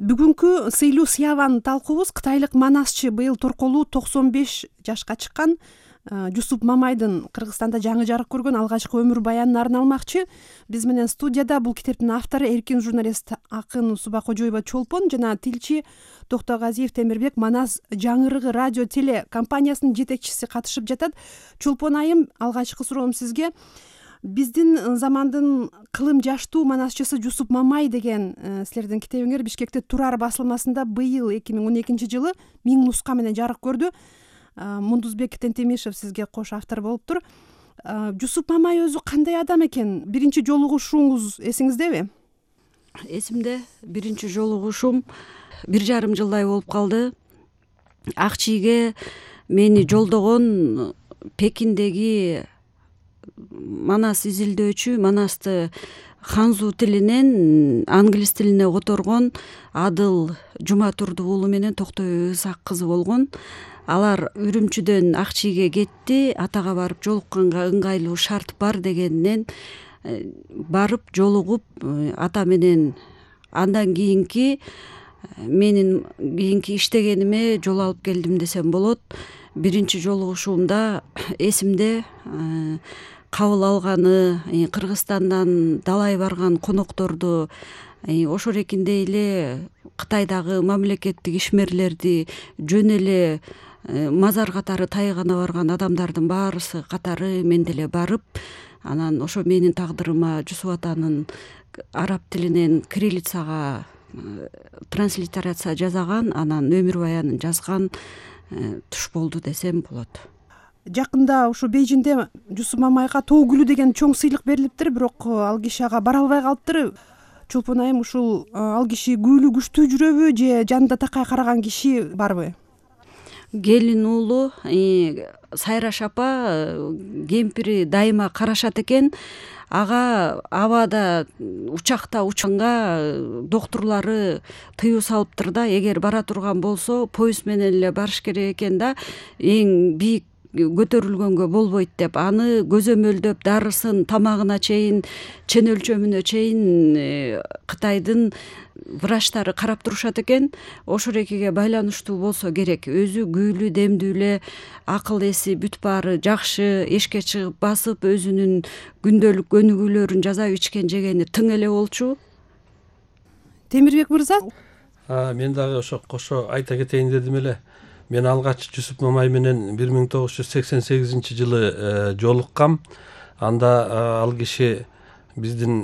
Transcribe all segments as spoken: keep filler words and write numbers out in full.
Бүгүнкү сыйлуу сыябан талкуубуз кытайлык манасчы, быйыл торколуу токсон беш жашка чыккан Жусуп Мамайдын Кыргызстанда жаңы жарык көргөн алгачкы өмүр баянына арналмакчы. Биз менен студияда бул китептин автору эркин журналист акын Субакожоева Чолпон жана тилчи Токтогазиев Темирбек Манас жаңырыгы радио теле компаниясынын жетекчиси катышып жатат. Чолпон айым, алгачкы суроом сизге. Биздин замандын кылым жаштуу манасчысы Жусуп Мамай деген силердин китебиңер Бишкекте Турар басылмасында быйыл эки миң он экинчи жылы миң нуска менен жарык көрдү. Мундузбек Тентемишев сизге кош автор болуптур. Жусуп Мамай өзү кандай адам экен? Биринчи жолугушууңуз эсиңиздеби? Эсимде. Биринчи жолугушуум бир жарым жылдай болуп калды. Ак чийге мени жолдогон Пекиндеги Манас изилдөөчү, Манасты ханзу тилинен англис тилине которгон Адыл Жуматурду уулу менен Токтой Ысак кызы болгон. Алар Үрүмчүдөн Ак чийге кетти. Атага барып жолукканга ыңгайлуу шарт бар дегенинен барып жолугуп, ата менен андан кийинки менин кийинки иштегениме жол алып келдим десем болот. Биринчи жолугушуумда эсимде кабыл алганы, Кыргызстандан далай барган конокторду, ошол эркиндей эле Кытайдагы мамлекеттик ишмерлерди жөн эле мазар катары тайгана барган адамдардын баарысы катары мен деле барып, анан ошо менин тагдырыма Жусуп атанын араб тилинен кириллицага транслитерация жасаган, анан өмүр баянын жазган туш болду десем болот. Жакында ушу Бейжиңде Жусуп Мамайга тоо гүлү деген чоң сыйлык берилиптир, бирок ал киши ага бара албай калыптыр. Чолпон айым, ушул ал киши гүлү күчтүү жүрөбү же жанында такай караган киши барбы? Келин уулу Сайраш апа кемпири дайыма карашат экен. Ага абада учакта учканга доктурлары тыюу салыптыр да, эгер бара турган болсо поезд менен эле барыш керек экен да, эң бийик көтөрүлгөнгө болбойт деп, аны көзөмөлдөп дарысын тамагына чейин, чен өлчөмүнө чейин Кытайдын врачтары карап турушат экен. Ошол экиге байланыштуу болсо керек. Өзү күүлүү, демдүү эле, акыл эси бүт баары жакшы, эшикке чыгып басып өзүнүн күндөлүк өнүгүүлөрүн жасап ичкен жегени тың эле болчу. Темирбек мырза? Мен дагы ошо кошо айта кетейин дедим эле. Мен алгач Жусуп Мамай менен бир миң тогуз жүз сексен сегизинчи жылы жолуккам. Анда ал киши биздин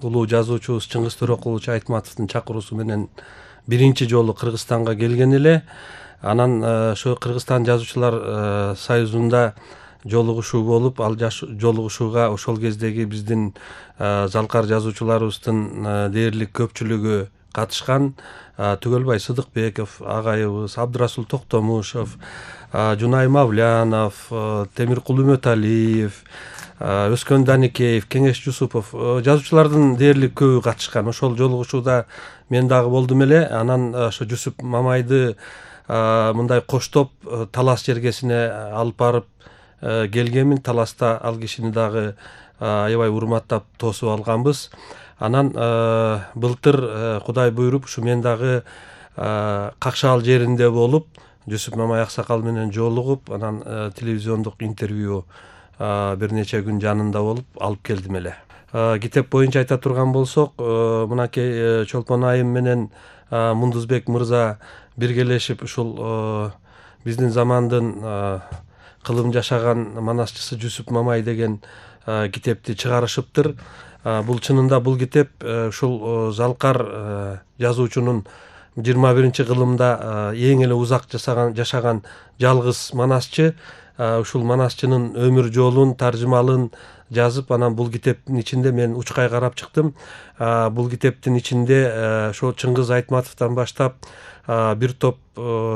улуу жазуучубуз Чыңгыз Төрөкулович Айтматовдун чакыруусу менен биринчи жолу Кыргызстанга келген эле. Анан ошо Кыргызстан жазуучулар союзунда жолугушуу болуп, ал жолугушууга ошол кездеги биздин залкар жазуучуларыбыздын дээрлик көпчүлүгү катышкан. Түгөлбай Сыдыкбеков агайыбыз, Абдырасул Токтомушев, Жунай Мавлянов, Темиркул Үмөталиев, Өскөн Даникеев, Кеңеш Жусупов, жазуучулардын дээрлик көбү катышкан. Ошол жолугушууда мен дагы болдум эле. Анан ошо Жусуп Мамайды мындай коштоп Талас жергесине алып барып келгенмин. Таласта ал кишини дагы аябай урматтап тосуп алганбыз. Анан былтыр Кудай буйруп ушу мен дагы Какшаал жеринде болуп, Жусуп Мамай аксакал менен жолугуп, анан телевизиондук интервью бир нече күн жанында болуп алып келдим эле. Китеп боюнча айта турган болсок, мынакей Чолпон айым менен Мундузбек мырза биргелешип ушул биздин замандын кылым жашаган манасчысы Жусуп Мамай деген китепти чыгарышыптыр. Бул чынында бул китеп ушул залкар жазуучунун жыйырма биринчи кылымда эң эле узак жашаган жашаган жалгыз манасчы. Ушул манасчынын өмүр жолун, таржымалын жазып, анан бул китептин ичинде мен учкай карап чыктым. Бул китептин ичинде ошо Чыңгыз Айтматовдон баштап бир топ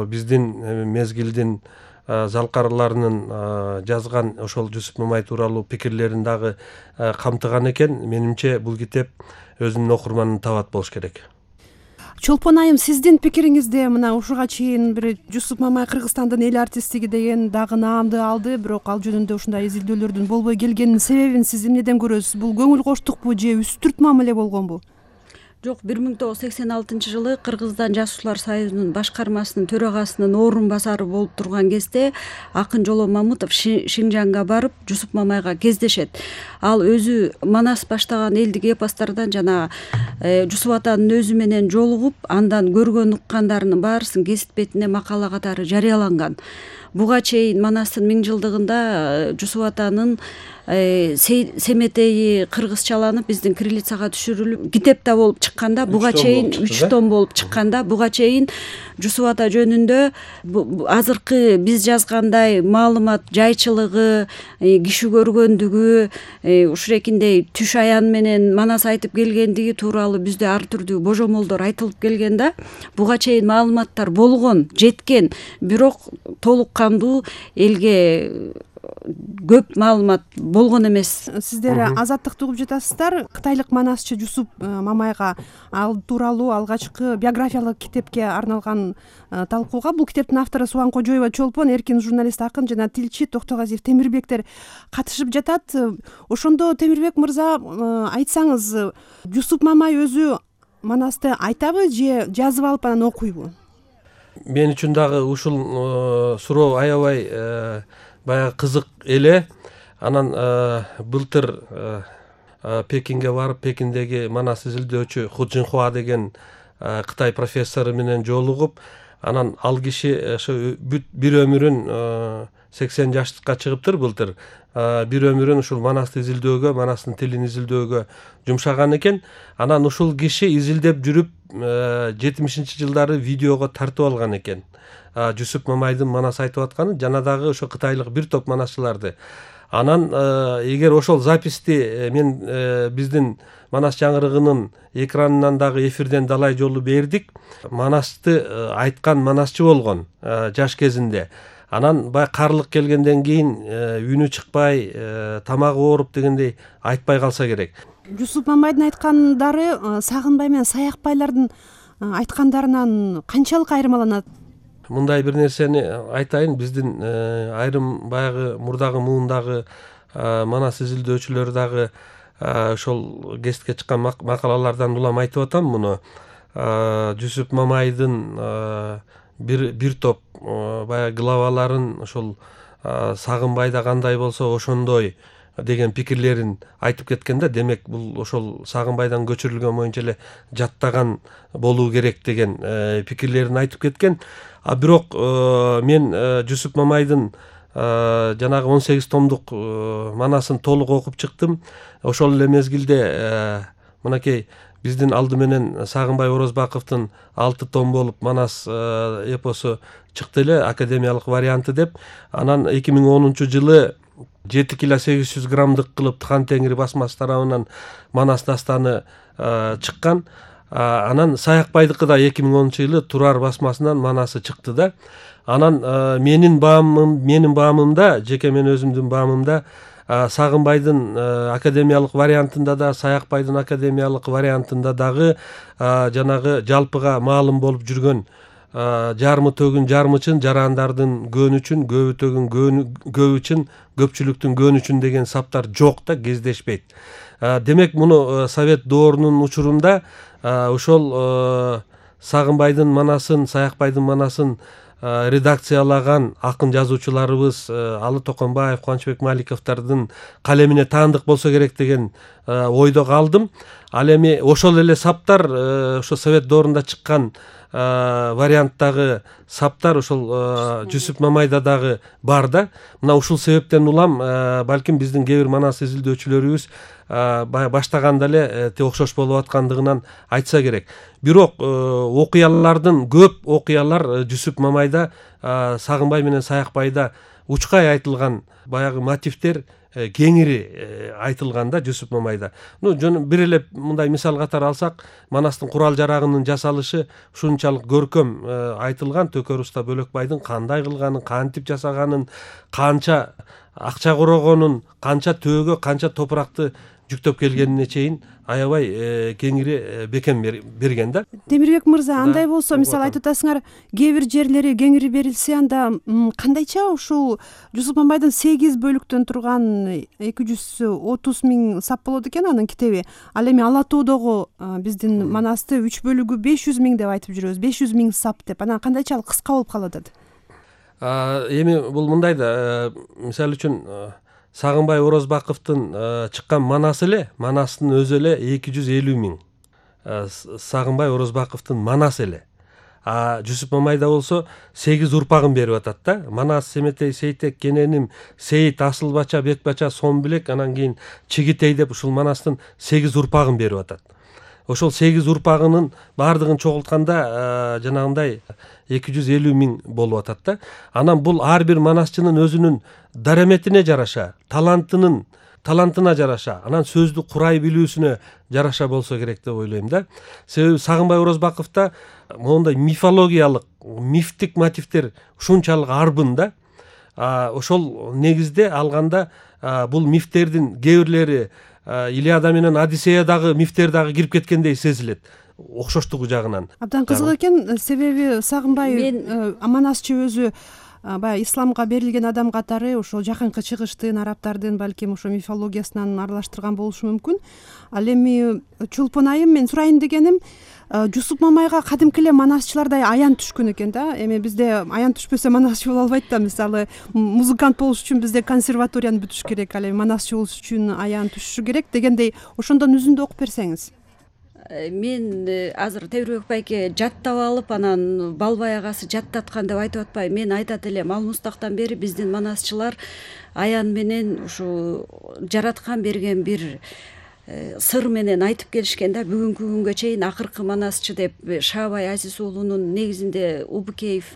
биздин мезгилдин залкарларынын жазган ошол Жусуп Мамай тууралуу пикирлерин дагы камтыган экен. Менимче бул китеп өзүнүн окурманын табат болуш керек. Чолпон айым, сиздин пикириңизде мына ушуга чейин бир Жусуп Мамай Кыргызстандын эл артисти деген дагы наамды алды, бирок ал жөнүндө ушундай изилдөөлөрдүн болбой келгенинин себебин сиз эмнеден көрөсүз? Бул көңүл коштукпу же үстүрт мамиле болгонбу? жок, бир миң тогуз жүз сексен алтынчы жылы Кыргызстан Жазуучулар союзунун башкармасынын төрагасынын орун басары болуп турган кезде акын Жоло Мамытов Шинжаңга барып Жусуп Мамайга кездешет. Ал өзү Манас баштаган элдик эпостардан жана Жусуп атанын өзү менен жолугуп, андан көргөн уккандарынын баарысын гезит бетине макала катары жарыяланган. Буга чейин Манастын миң жылдыгында Жусуп атанын семетеи кыргызчаланып биздин кириллицага түшүрүлүп китеп да болуп чыкканда, буга чейин үч том болуп чыкканда, буга чейин Жусуп ата жөнүндө азыркы биз жазгандай маалымат жайчылыгы, киши көргөндүгү, ушурекиндей түш аян менен Манас айтып келгендиги тууралуу бизде ар түрдүү божомолдор айтылып келген да. Буга чейин маалыматтар болгон, жеткен, бирок толук кандуу элге көп маалымат болгон эмес. Сиздер азаттыкты угуп жатасыздар. Кытайлык манасчы Жусуп Мамайга ал тууралуу алгачкы биографиялык китепке арналган талкууга бул китептин автору Субан Кожоева Чолпон, эркин журналист, акын жана тилчи Токтогазиев Темирбектер катышып жатат. Ошондо Темирбек мырза, айтсаңыз, Жусуп Мамай өзү Манасты айтабы же жазып алып анан окуйбу? Мен үчүн дагы ушул суроо аябай баягы кызык эле. Анан былтыр Пекинге барып, Пекиндеги Манас изилдөөчү Ху Жинхуа деген Кытай профессору менен жолугуп, анан ал киши ошо бир өмүрүн сексен жаштыкка чыгыптыр былтыр. Бир өмүрүн ушул Манасты изилдөөгө, Манастын тилин изилдөөгө жумшаган экен. Анан ушул киши изилдеп жүрүп жетимишинчи жылдары видеого тартып алган экен. Жусуп Мамайдын Манас айтып атканы жана дагы ошо кытайлык бир топ манасчыларды. Анан эгер ошол записти мен биздин Манас жаңырыгынын экранынан дагы эфирден далай жолу бердик. Манасты айткан манасчы болгон жаш кезинде. Анан баягы карлык келгенден кийин үнү чыкпай, тамагы ооруп дегендей айтпай калса керек. Жусуп Мамайдын айткандары Сагынбай менен Саякбайлардын айткандарынан канчалык айырмаланат? Мындай бир нерсени айтайын, биздин айрым баягы мурдагы муундагы Манас изилдөөчүлөр дагы ошол гезитке чыккан макалалардан улам айтып атам муну. Жусуп Мамайдын бир бир топ баягы главаларын ошол Сагынбайда кандай болсо ошондой деген пикирлерин айтып кеткен да. Демек бул ошол Сагынбайдан көчүрүлгөн боюнча эле жаттаган болуу керек деген пикирлерин айтып кеткен. А бирок мен Жусуп Мамайдын жанагы он сегиз томдук Манасын толук окуп чыктым. Ошол эле мезгилде мынакей биздин алды менен Сагынбай Орозбаковдун алты том болуп Манас эпосу чыкты эле, академиялык варианты деп. Анан эки миң онунчу жылы жети кило сегиз жүз граммдык кылып Хан Теңир басмасы тарабынан Манас дастаны чыккан. Анан Саякбайдыкы да эки миң онунчу жылы Турар басмасынан Манасы чыкты да. Анан менин баамым, менин баамымда, жеке мен өзүмдүн баамымда Сагынбайдын академиялык вариантында да, Саякбайдын академиялык вариантында дагы жанагы жалпыга маалым болуп жүргөн жарымы төгүн жармычын, жарандардын көөнүчүн, көбү төгүн көбүчүн, көпчүлүктүн көөнүчүн деген саптар жок да, кездешпейт. Демек муну Совет доорунун учурунда ошол Сагынбайдын Манасын, Саякбайдын Манасын редакциялаган акын жазуучуларыбыз Алы Токонбаев, Кубанычбек Маликовдордун калемине таандык болсо керек деген ойдо калдым. Ал эми ошол эле саптар ошо Совет доорунда чыккан варианттагы саптар ошол Жусуп Мамайда дагы бар да. Мына ушул себептен улам балким биздин кээ бир Манас изилдөөчүлөрүбүз баштаганда эле окшош болуп аткандыгынан айтса керек. Бирок окуялардын көп окуялар Жусуп Мамайда, Сагынбай менен Саякбайда учкай айтылган баягы мотивдер кеңири айтылган да Жусуп Мамайда. Ну бир эле мындай мисал катары алсак, Манастын курал жарагынын жасалышы ушунчалык көркөм айтылган. Төкөр уста Бөлөкбайдын кандай кылганын, кантип жасаганын, канча акча корогонун, канча төөгө, канча топуракты жүктөп келгенине чейин аябай кеңири бекем берген да. Темирбек мырза, андай болсо, мисалы айтып атасыңар, кээ бир жерлери кеңири берилсе, анда кандайча ушул Жусуп Мамайдын сегиз бөлүктөн турган эки жүз отуз миң сап болот экен анын китеби. Ал эми Ала тоодогу биздин Манасты үч бөлүгү беш жүз миң деп айтып жүрөбүз, беш жүз миң сап деп. Анан кандайча кыска болуп калып атат? Эми бул мындай да, мисалы үчүн Сагынбай Орозбаковдун чыккан Манасы эле, Манастын өзү эле эки жүз элүү миң. Сагынбай Орозбаковдун Манасы эле. А Жусуп Мамайда болсо сегиз урпагын берип атат да. Манас, Семетей, Сейтек, Кененим, Сейит, Асылбача, Бекбача, Сомбилек, анан кийин Чигитей деп ушул Манастын сегиз урпагын берип атат. Ошол сегиз урпагынын баардыгын чогултканда жанагындай эки жүз элүү миң болуп атат да. Анан бул ар бир манасчынын өзүнүн дараметине жараша, талантынын талантына жараша, анан сөздү курай билүүсүнө жараша болсо керек деп ойлойм да. Себеби Сагынбай Орозбаковдо моундай мифологиялык, мифтик мотивдер ушунчалык арбын да. Ошол негизде алганда бул мифтердин кээ бирлери Илиада менен Одиссеядагы мифтер дагы кирип кеткендей сезилет, окшоштугу жагынан. Абдан кызык экен, себеби Сагынбай Манасчы өзү баягы исламга берилген адам катары ошол жакынкы чыгыштын, арабтардын балким ошо мифологиясынан аралаштырган болушу мүмкүн. Ал эми Чолпон айым, мен сурайын дегеним, Жусуп Мамайга кадимки эле манасчылардай аян түшкөн экен да. Эми бизде аян түшпөсө манасчы боло албайт да. Мисалы, музыкант болуш үчүн бизде консерваторияны бүтүш керек, ал эми манасчы болуш үчүн аян түшүшү керек дегендей, ошондон үзүндү окуп берсеңиз. Мен азыр Темирбек байке жаттап алып, анан Балбай агасы жаттаткан деп айтып атпайм. Мен айтат элем, ал мустактан бери биздин манасчылар аян менен ушу жараткан берген бир сыр менен айтып келишкен да. Бүгүнкү күнгө чейин акыркы манасчы деп Шаабай Азиз уулунун негизинде Убукеев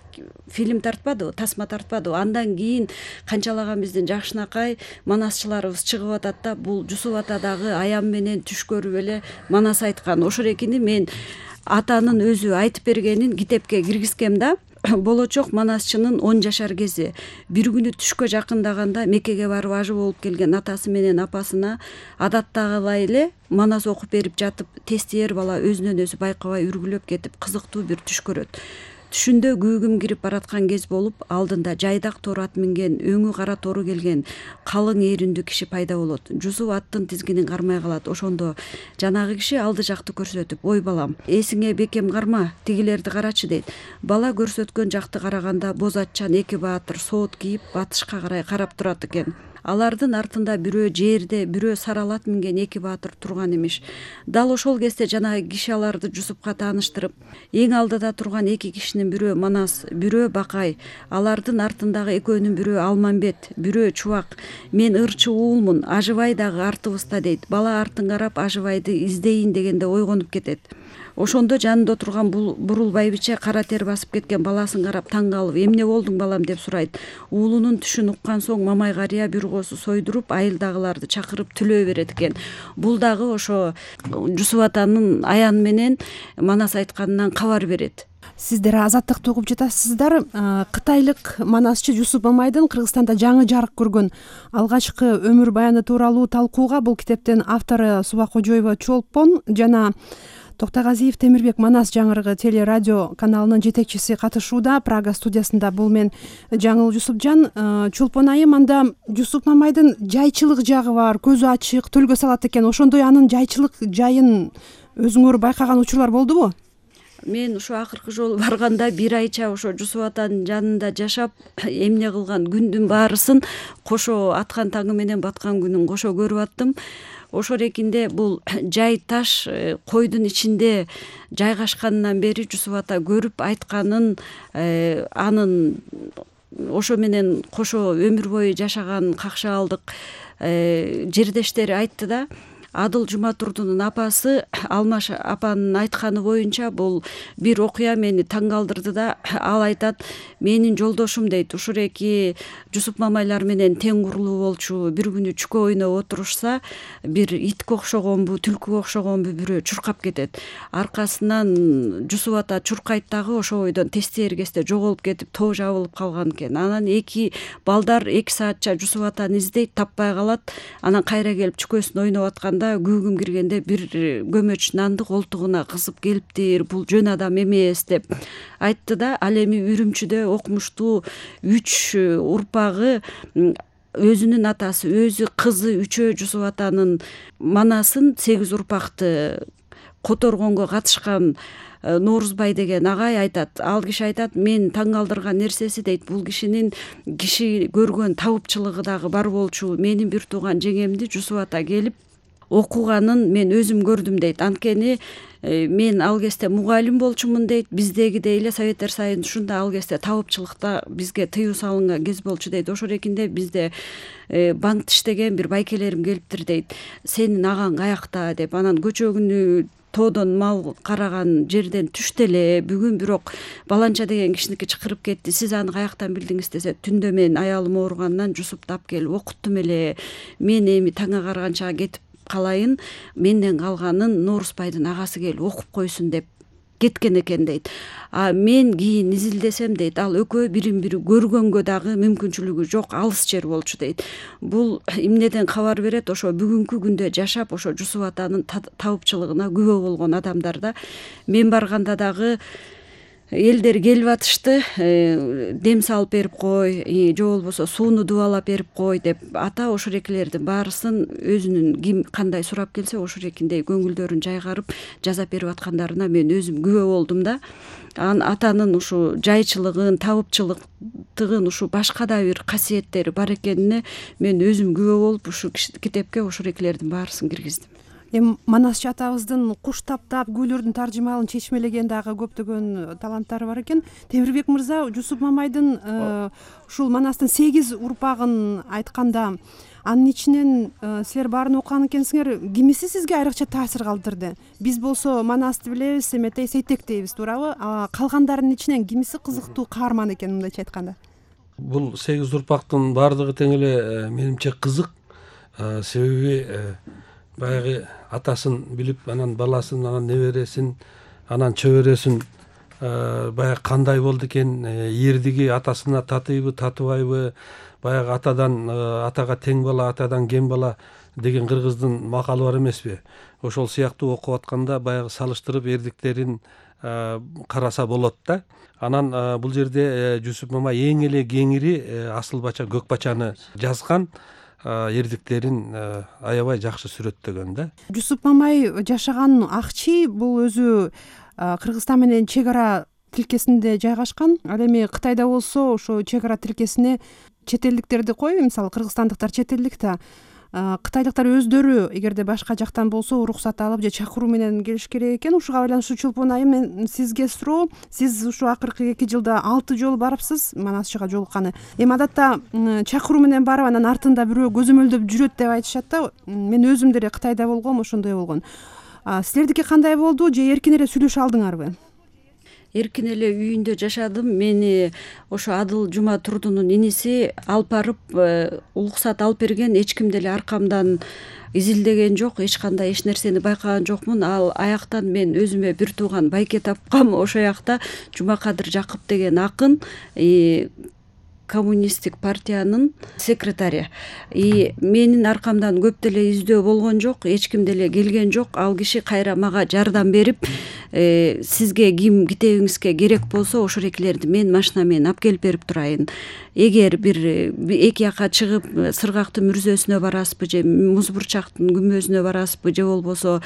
фильм тартпадыбы, тасма тартпадыбы. Андан кийин канчалаган биздин жакшынакай манасчыларыбыз чыгып атат да. Бул Жусуп атадагы аян менен түш көрүп эле манас айткан. Ошол экини мен атанын өзү айтып бергенин китепке киргизгем да. Болочок манасчынын он жашар кези. Бир күнү түшкө жакындаганда Меккеге барып ажы болуп келген атасы менен апасына адаттагылай эле манас окуп берип жатып, тестиер бала өзүнөн өзү байкабай үргүлөп кетип, кызыктуу бир түш көрөт. Түшүндө күүгүм кирип бараткан кез болуп, алдында жайдак тор ат минген, өңү кара тору келген калың ээриндүү киши пайда болот. Жусуп аттын тизгинин кармай калат. Ошондо жанагы киши алды жакты көрсөтүп, ой балам, эсиңе бекем карма, тигилерди карачы дейт. Бала көрсөткөн жакты караганда боз атчан эки баатыр соот кийип батышка карай карап турат экен. Алардын артында бирөө жерде, бирөө саралат минген эки баатыр турган имиш. Дал ошол кезде жанагы киши аларды Жусупка тааныштырып, эң алдыда турган эки кишинин бирөө Манас, бирөө Бакай, алардын артындагы экөөнүн бирөө Алмамбет, бирөө Чубак. Мен ырчы уулмун, Ажыбай дагы артыбызда дейт. Бала артын карап Ажыбайды издейин дегенде ойгонуп кетет. Ошондо жанында турган бурул байбиче кара тер басып кеткен баласын карап таң калып, эмне болдуң балам деп сурайт. Уулунун түшүн уккан соң Мамай карыя бир коосу сойдуруп, айылдагыларды чакырып түлөө берет экен. Бул дагы ошо Жусуп атанын аян менен манас айтканынан кабар берет. Сиздер Азаттыкты угуп жатасыздар. Кытайлык манасчы Жусуп Мамайдын Кыргызстанда жаңы жарык көргөн алгачкы өмүр баяны тууралуу талкууга бул китептин автору Субакожоева Чолпон жана Токтогазиев Темирбек Манас жаңырыгы теле радио каналынын жетекчиси катышууда. Прага студиясында бул мен Жаңыл Жусупжан. Чолпон айым, анда Жусуп Мамайдын жайчылык жагы бар, көзү ачык, төлгө салат экен. Ошондой анын жайчылык жайын өзүңөр байкаган учурлар болдубу? Мен ушу акыркы жолу барганда бир айча ошо Жусуп атанын жанында жашап, эмне кылган күндүн баарысын кошо аткан таңы менен баткан күнүн кошо көрүп аттым. Ошол экинде бул жай таш койдун ичинде жайгашканынан бери Жусуп ата көрүп айтканын, анын ошо менен кошо өмүр бою жашаган какшаалдык жердештери айтты да. Адыл Жуматурдунун апасы Алмаш апанын айтканы боюнча бул бир окуя мени таң калтырды да. Ал айтат, менин жолдошум дейт, ушул эки Жусуп Мамайлар менен тең курулуу болчу, бир күнү чүкө ойноп отурушса, бир итке окшогонбу, түлкүгө окшогонбу бирөө чуркап кетет. Аркасынан Жусуп ата чуркайт дагы, ошо бойдон тестиер кезде жоголуп кетип, тоо жабылып калган экен. Анан эки балдар эки саатча Жусуп атаны издейт, таппай калат. Анан кайра келип чүкөсүн ойноп атканда барганда күүгүм киргенде бир көмөч нанды колтугуна кысып келиптир, бул жөн адам эмес деп айтты да. Ал эми Үрүмчүдө окумуштуу үч урпагы өзүнүн атасы, өзү, кызы үчөө Жусуп атанын манасын сегиз урпакты которгонго катышкан Норузбай деген агай айтат. Ал киши айтат, мен таң калтырган нерсеси дейт, бул кишинин киши көргөн табыпчылыгы дагы бар болчу. Менин бир тууган жеңемди Жусуп ата келип окуганын мен өзүм көрдүм дейт. Анткени мен ал кезде мугалим болчумун дейт. Биздегидей эле Советтер Союзунда ал кезде табыпчылыкта бизге тыюу салынган кез болчу дейт. Ошол экинде бизде банкта иштеген бир байкелерим келиптир дейт. Сенин агаң каякта деп. Анан көчөгүнү тоодон мал караган жерден түштү эле. Бүгүн бирок баланча деген кишиники чакырып кетти. Сиз аны каяктан билдиңиз десе, түндө мен аялым ооругандан Жусупту алып келип окуттум эле. Мен эми таңга караганча кетип калайын, менден калганын Норузбайдын агасы келип окуп койсун деп кеткен экен дейт. А мен кийин изилдесем дейт, ал экөө бирин бири көргөнгө дагы мүмкүнчүлүгү жок, алыс жер болчу дейт. Бул эмнеден кабар берет? Ошо бүгүнкү күндө жашап, ошо Жусуп атанын табыпчылыгына күбө болгон адамдар да. Мен барганда дагы элдер келип атышты, дем салып берип кой, же болбосо сууну дубалап берип кой деп. Ата ошол экилердин баарысын өзүнүн ким кандай сурап келсе ошол экиндей көңүлдөрүн жайгарып жасап берип аткандарына мен өзүм күбө болдум да. Анын атанын ушу жайчылыгын, табыпчылыктыгын, ушу башка да бир касиеттери бар экенине мен өзүм күбө болуп, ушу китепке ошол экилердин баарысын киргиздим. Эми Манасчы атабыздын куш таптап гүлөрдүн таржымалын чечмелеген дагы көптөгөн таланттары бар экен. Темирбек мырза, Жусуп Мамайдын ушул Манастын сегиз урпагын айтканда, анын ичинен силер баарын окуган экенсиңер, кимиси сизге айрыкча таасир калтырды? Биз болсо Манасты билебиз, Эметей, Сейтек дейбиз, туурабы? Калгандарынын ичинен кимиси кызыктуу каарман экен, мындайча айтканда? Бул сегиз урпактын баардыгы тең эле менимче кызык. Себеби баягы атасын билип, анан баласын, анан небересин, анан чөбөрөсүн баягы кандай болду экен, эрдиги атасына татыйбы, татыбайбы, баягы атадан атага тең бала, атадан кем бала деген кыргыздын макалы бар эмеспи? Ошол сыяктуу окуп атканда баягы салыштырып эрдиктерин караса болот да. Анан бул жерде Жусуп Мамай эң эле кеңири асыл бача, көк бачаны жазган, эрдиктерин аябай жакшы сүрөттөгөн да. Жусуп Мамай жашаган Акчи бул өзү Кыргызстан менен чек ара тилкесинде жайгашкан. Ал эми Кытайда болсо ошо чек ара тилкесине чет элдиктерди кой, мисалы кыргызстандыктар чет элдик да, кытайлыктар өздөрү эгерде башка жактан болсо уруксат алып же чакыруу менен келиш керек экен. Ушуга байланыштуу Чулпун айым, мен сизге суроо, сиз ушу акыркы эки жылда алты жолу барыпсыз Манасчыга жолукканы. Эми адатта чакыруу менен барып, анан артында бирөө көзөмөлдөп жүрөт деп айтышат да. Мен өзүм деле Кытайда болгом, ошондой болгон. Силердики кандай болду, же эркин эле сүйлөшө алдыңарбы? Эркин эле үйүндө жашадым. Мени ошо Адыл Жума Турдунун иниси алып барып, уруксат алып берген. Эч ким деле аркамдан изилдеген жок, эч кандай эч нерсени байкаган жокмун. Ал аяктан мен өзүмө бир тууган байке тапкам. Ошол жакта Жумакадыр Жакып деген акын, коммунисттик партиянын секретари. И менин аркамдан көп деле издөө болгон жок, эч ким деле келген жок. Ал киши кайра мага жардам берип, сизге ким китебиңизге керек болсо ошол экилерди мен машина менен алып келип берип турайын. Эгер бир эки жака чыгып Сыргактын мүрзөсүнө барасызбы, же Музбурчактын күмбөзүнө барасызбы, же болбосо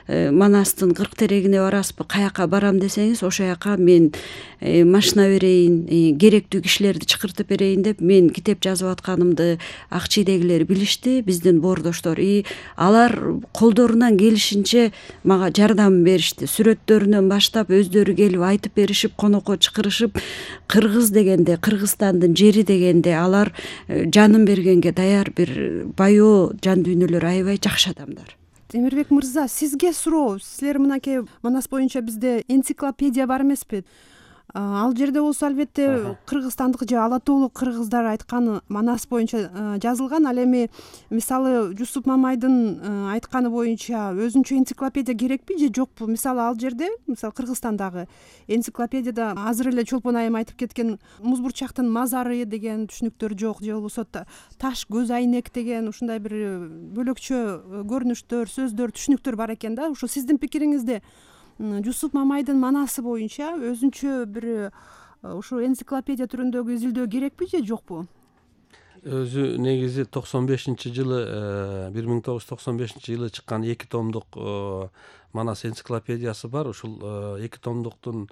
Манастын кырк терегине барасызбы, каяка барам десеңиз, ошол жака мен машина берейин, керектүү кишилерди чакыртып берейин деп мен китеп жазып атканымды Акчийдегилер билишти, биздин боордоштор. И алар колдорунан келишинче мага жардам беришти. Сүрөттөрүнөн баштап өздөрү келип айтып беришип, конокко чакырышып, кыргыз дегенде, Кыргызстандын жери дегенде алар жанын бергенге даяр бир баяу жан дүйнөлөр, аябай жакшы адамдар. Темирбек мырза, сизге суроо. Силер мынакей Манас боюнча бизде энциклопедия бар эмеспи? Ал жерде болсо албетте кыргызстандык же ала тоолук кыргыздар айтканы Манас боюнча жазылган. Ал эми мисалы Жусуп Мамайдын айтканы боюнча өзүнчө энциклопедия керекпи же жокпу? Мисалы ал жерде, мисалы Кыргызстандагы энциклопедияда азыр эле Чолпон айым айтып кеткен Музбурчактын мазары деген түшүнүктөр жок, же болбосо таш көз айнек деген ушундай бир бөлөкчө көрүнүштөр, сөздөр, түшүнүктөр бар экен да. Ушу сиздин пикириңизде Жусуп Мамайдын манасы боюнча өзүнчө бир ушу энциклопедия түрүндөгү изилдөө керекпи же жокпу? Өзү негизи токсон бешинчи жылы бир миң тогуз жүз токсон бешинчи жылы чыккан эки томдук Манас энциклопедиясы бар. Ушул эки томдуктун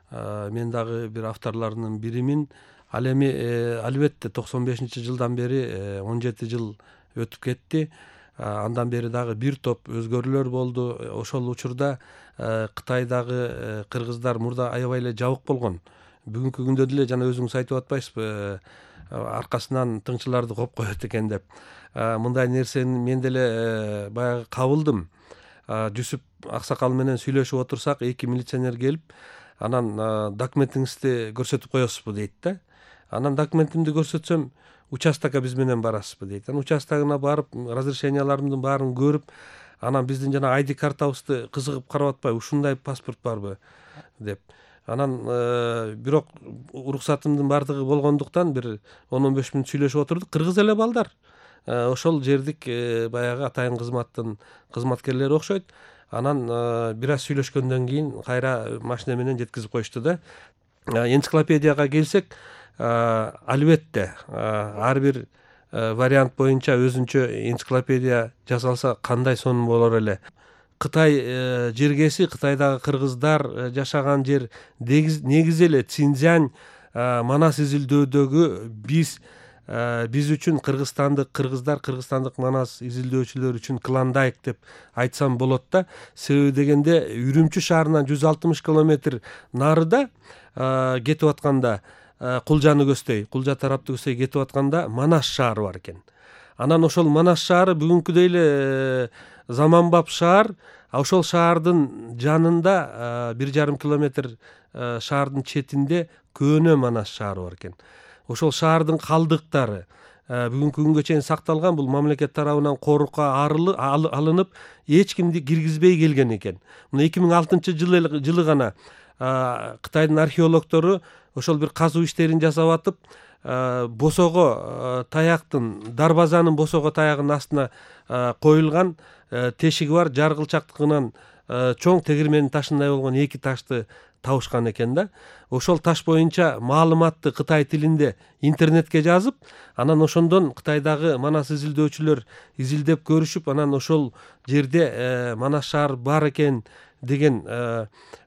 мен дагы бир авторлорунун биримин. Ал эми албетте токсон бешинчи жылдан бери он жети жыл өтүп кетти. Андан бери дагы бир топ өзгөрүүлөр болду. Ошол учурда Кытайдагы кыргыздар мурда аябай эле жабык болгон. Бүгүнкү күндө деле жана өзүңүз айтып атпайсызбы, аркасынан тыңчыларды коп коет экен деп. Мындай нерсени мен деле баягы кабылдым. Жусуп аксакал менен сүйлөшүп отурсак, эки милиционер келип, анан документиңизди көрсөтүп коесузбу дейт да. Анан документимди көрсөтсөм, участокко биз менен барасызбы дейт. Анан участогуна барып, разрешенияларымдын баарын көрүп, анан биздин жана ай ди картабызды кызыгып карап атпайбы, ушундай паспорт барбы деп. Анан бирок уруксатымдын баардыгы болгондуктан бир он он беш мүнөт сүйлөшүп отурдук. Кыргыз эле балдар. Ошол жердик баягы атайын кызматтын кызматкерлери окшойт. Анан бир аз сүйлөшкөндөн кийин кайра машина менен жеткизип коюшту да. Энциклопедияга келсек, албетте ар бир вариант боюнча өзүнчө энциклопедия жасалса кандай сонун болор эле. Кытай жергеси, Кытайдагы кыргыздар жашаган жер негизи эле Цинцзянь Манас изилдөөдөгү биз биз үчүн кыргызстандык кыргыздар, кыргызстандык Манас изилдөөчүлөр үчүн клондайк деп айтсам болот да. Себеби дегенде Үрүмчү шаарынан жүз алтымыш километр нарыда кетип атканда, Кулжаны көздөй, Кулжа тарапты көздөй кетип атканда Манас шаары бар экен. Анан ошол Манас шаары бүгүнкүдөй эле заманбап шаар, ошол шаардын жанында бир жарым километр шаардын четинде көөнө Манас шаары бар экен. Ошол шаардын калдыктары бүгүнкү күнгө чейин сакталган. Бул мамлекет тарабынан корукка алынып, эч кимди киргизбей келген экен. Мына эки миң алтынчы жылы гана Кытайдын археологдору ошол бир казуу иштерин жасап атып, босого таяктын, дарбазанын босого таягынын астына коюлган тешиги бар, жаргылчактыгынан чоң тегирменин ташындай болгон эки ташты табышкан экен да. Ошол таш боюнча маалыматты Кытай тилинде интернетке жазып, анан ошондон Кытайдагы Манас изилдөөчүлөр изилдеп көрүшүп, анан ошол жерде Манас шаар бар экен деген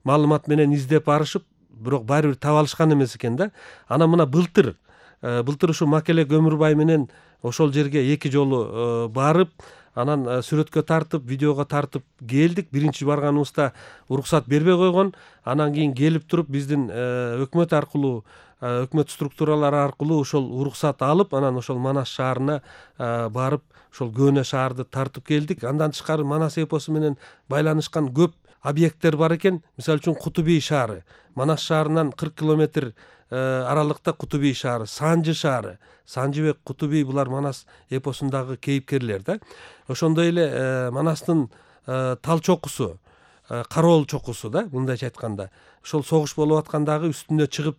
маалымат менен издеп барышып, бирок баары бир таба алышкан эмес экен да. Анан мына былтыр былтыр ушу Макеле Көмүрбай менен ошол жерге эки жолу барып, анан сүрөткө тартып, видеого тартып келдик. Биринчи барганыбызда уруксат бербей койгон. Анан кийин келип туруп биздин өкмөт аркылуу, өкмөт структуралары аркылуу ошол уруксат алып, анан ошол Манас шаарына барып, ошол көөнө шаарды тартып келдик. Андан тышкары Манас эпосу менен байланышкан көп объекттер бар экен. Мисалы үчүн Кутубий шаары, Манас шаарынан кырк километр аралыкта Кутубий шаары, Санжы шаары, Санжыбек, Кутубий булар Манас эпосундагы кейипкерлер да. Ошондой эле Манастын тал чокусу, Кароол чокусу да, мындайча айтканда. Ошол согуш болуп аткандагы үстүнө чыгып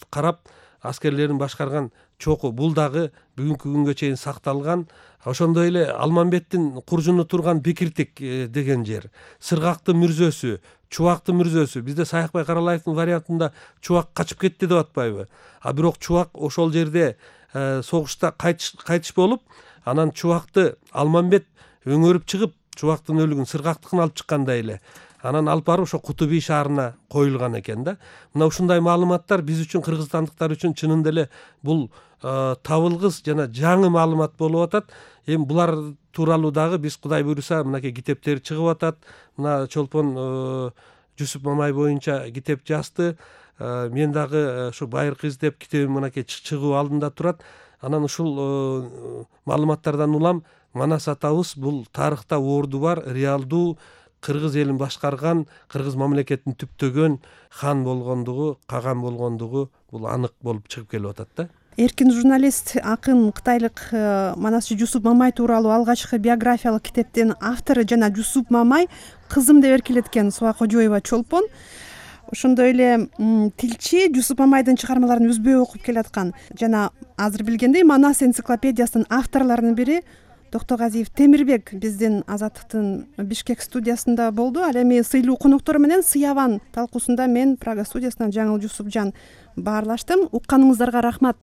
карап аскерлерин башкарган чоку, бул дагы бүгүнкү күнгө чейин сакталган. Ошондой эле Алмамбеттин куржуну турган Бекиртик деген жер, Сыргактын мүрзөсү, Чубактын мүрзөсү. Бизде Саякбай Каралаевдин вариантында Чубак качып кетти деп атпайбы? А бирок Чубак ошол жерде согушта кайтыш болуп, анан Чубакты Алмамбет өңөрүп чыгып, Чубактын өлүгүн, Сыргактыкын алып чыккандай эле. Анан алып барып ошо Кутубий шаарына коюлган экен да. Мына ушундай маалыматтар биз үчүн, кыргызстандыктар үчүн чынында эле бул табылгыс жана жаңы маалымат болуп атат. Эми булар тууралуу дагы биз Кудай буйруса мынакей китептер чыгып атат. Мына Чолпон Жусуп Мамай боюнча китеп жазды. Мен дагы ушу байыркы издеп китебим мынакей чыгуу алдында турат. Анан ушул маалыматтардан улам Манас атабыз бул тарыхта орду бар, реалдуу кыргыз элин башкарган, кыргыз мамлекетин түптөгөн хан болгондугу, каган болгондугу бул анык болуп чыгып келип атат да. Эркин журналист, акын кытайлык манасчы Жусуп Мамай тууралуу алгачкы биографиялык китептин автору жана Жусуп Мамай кызым деп эркелеткен Суа Кожоева Чолпон. Ошондой эле тилчи Жусуп Мамайдын чыгармаларын үзбөй окуп келаткан жана азыр билгендей Манас энциклопедиясынын авторлорунун бири Токтогазиев Темирбек биздин Азаттыктын Бишкек студиясында болду. Ал эми сыйлуу коноктору менен Сыяван талкуусунда мен Прага студиясынан Жаңыл Жусупжан баарлаштым. Укканыңыздарга рахмат.